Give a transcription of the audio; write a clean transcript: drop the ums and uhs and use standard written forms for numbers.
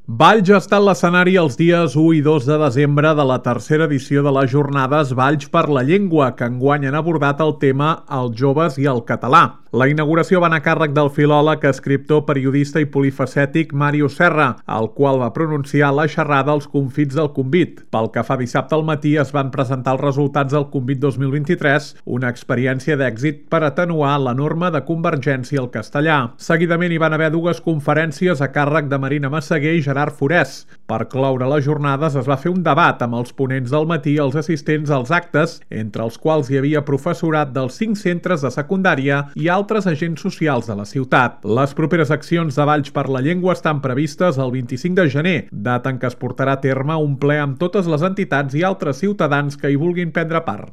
Valls ha estat l'escenari els dies 1 i 2 de desembre de la tercera edició de les jornades Valls per la Llengua, que enguany han abordat el tema Els joves i el català. La inauguració va anar a càrrec del filòleg, escriptor, periodista i polifacètic Màrius Serra, el qual va pronunciar la xerrada als confits del Convit. Pel que fa dissabte al matí es van presentar els resultats del Convit 2023, una experiència d'èxit per atenuar l'enorme de convergència al castellà. Seguidament hi van haver dues conferències a càrrec de Marina Massaguer i Gerard Forès. Per cloure les jornades es va fer un debat amb els ponents del matí i els assistents als actes, entre els quals hi havia professorat dels 5 centres de secundària i altres agents socials de la ciutat. Les properes accions de Valls per la Llengua estan previstes el 25 de gener, data en què es portarà a terme un ple amb totes les entitats i altres ciutadans que hi vulguin prendre part.